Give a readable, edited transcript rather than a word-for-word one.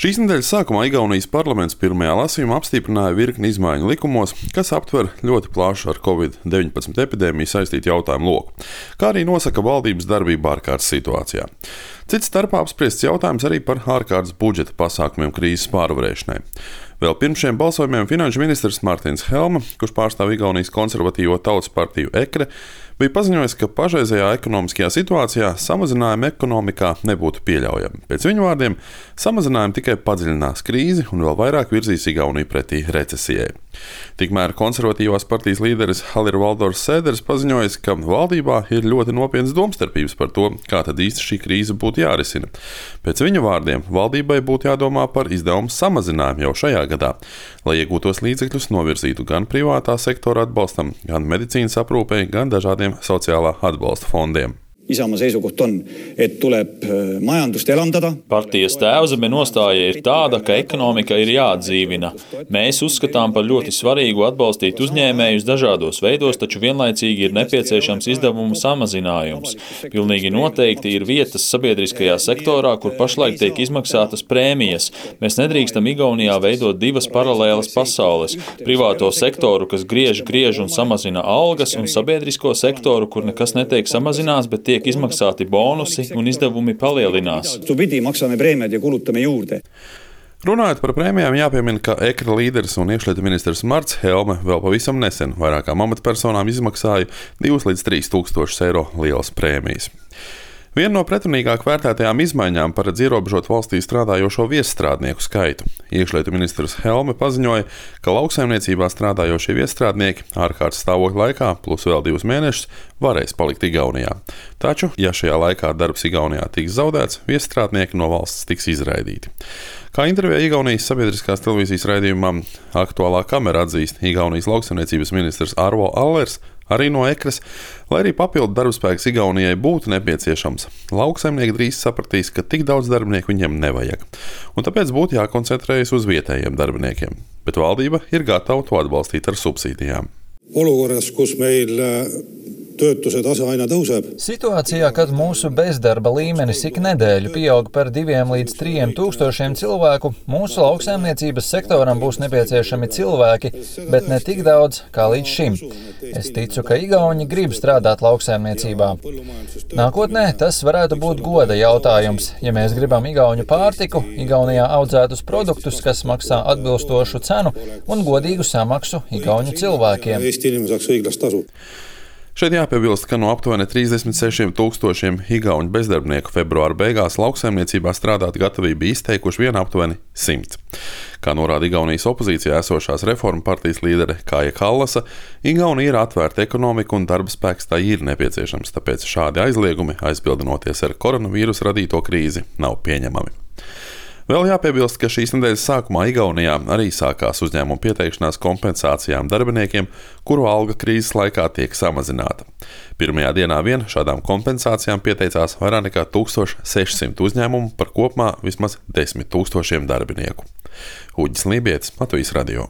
Šīs nedēļas sākumā Igaunijas parlaments pirmajā lasījumā apstiprināja virkni izmaiņu likumos, kas aptver ļoti plašu ar Covid-19 epidēmiju saistītu jautājumu loku, kā arī nosaka valdības darbību ārkārtas situācijā. Cits starpā apspriests jautājums arī par ārkārtas budžeta pasākumiem krīzes pārvarēšanai. Vēl pirms šiem balsojumiem finanšu ministrs Martins Helme, kurš pārstāv Igaunijas konservatīvo tautas partiju EKRE, bija paziņojis, ka pašreizējā ekonomiskajā situācijā samazinājumi ekonomikā nebūtu pieļaujami. Pēc viņa vārdiem, samazinājumi tikai padziļinās krīzi un vēl vairāk virzīs Igauniju pretī recesijai. Tikmēr konservatīvās partijas līderis Hallir Valdors Sēders paziņojis, ka valdībā ir ļoti nopietnas domstarpības par to, kā tad īsti šī krīze būtu jārisina. Pēc viņa vārdiem, valdībai būtu jādomā par izdevumu samazinājumu jau šajā gadā, lai iegūtos līdzekļus novirzītu gan privātā sektora atbalstam, gan medicīnas aprūpei, gan dažādiem sociālā atbalsta fondiem. Isamaa seisukoht on, et tuleb majandust elavdada. Partijas tēvzeme nostāja ir tāda, ka ekonomika ir jāatdzīvina. Mēs uzskatām par ļoti svarīgu atbalstīt uzņēmējus dažādos veidos, taču vienlaicīgi ir nepieciešams izdevumu samazinājums. Pilnīgi noteikti ir vietas sabiedriskajā sektorā, kur pašlaik tiek izmaksātas prēmijas. Mēs nedrīkstam Igaunijā veidot divas paralēlas pasaules. Privāto sektoru, kas griež un samazina algas, un sabiedrisko sektoru, kur nekas netiek samazināts, bet tiek izmaksāti bonusi un izdevumi palielinās. Runājot par prēmijām, jāpiemina, ka EKRE līderis un iekšlietu ministrs Marts Helme vēl pavisam nesen vairākām amatpersonām izmaksāja 2 līdz 3 tūkstošus eiro lielas prēmijas. Viena no pretrunīgāk vērtētajām izmaiņām paredz ierobežot valstī strādājošo viesstrādnieku skaitu. Iekšlietu ministrs Helme paziņoja, ka lauksaimniecībā strādājošie viesstrādnieki ārkārtas stāvokļa laikā plus vēl 2 mēnešus varēs palikt Igaunijā. Taču, ja šajā laikā darbs Igaunijā tiks zaudēts, viesstrādnieki no valsts tiks izraidīti. Kā intervijā Igaunijas sabiedriskās televīzijas raidījumam Aktuālā kamera atzīst Igaunijas lauksaimniecības ministrs Arvo Allers, arī no EKRES, lai arī papildu darbspēks Igaunijai būtu nepieciešams. Lauksaimnieki drīz sapratīs, ka tik daudz darbinieku viņiem nevajag, un tāpēc būtu jākoncentrējas uz vietējiem darbiniekiem. Bet valdība ir gatava to atbalstīt ar subsīdijām. Olukorras, kus meil töötuse tase aina tõuseb. Situācijā, kad mūsu bezdarba līmenis ik nedēļu pieaug par 2 līdz 3 tūkstošiem cilvēku, mūsu lauksaimniecības sektoram būs nepieciešami cilvēki, bet ne tik daudz kā līdz šim. Es ticu, ka Igauni grib strādāt lauksaimniecībā. Nākotnē tas varētu būt goda jautājums. Ja mēs gribam igauņu pārtiku, Igaunijā audzētus produktus, kas maksā atbilstošu cenu un godīgu samaksu igauņu cilvēkiem. Šeit jāpiebilst, ka no aptuveni 36 tūkstošiem igauņu bezdarbnieku februāra beigās lauksaimniecībā strādāt gatavību izteikuši vien aptuveni 100. Kā norāda Igaunijas opozīcijā esošās reformu partijas līdere Kāja Kallasa, Igaunija ir atvērta ekonomika un darba spēks tā ir nepieciešams, tāpēc šādi aizliegumi, aizbildinoties ar koronavīrusu radīto krīzi, nav pieņemami. Vēl jāpiebilst, ka šīs nedēļas sākumā Igaunijā arī sākās uzņēmumu pieteikšanās kompensācijām darbiniekiem, kuru alga krīzes laikā tiek samazināta. Pirmajā dienā vien šādām kompensācijām pieteicās vairāk nekā 1600 uzņēmumu par kopumā vismaz 10 000 darbinieku. Uģis Lībietis, Latvijas radio.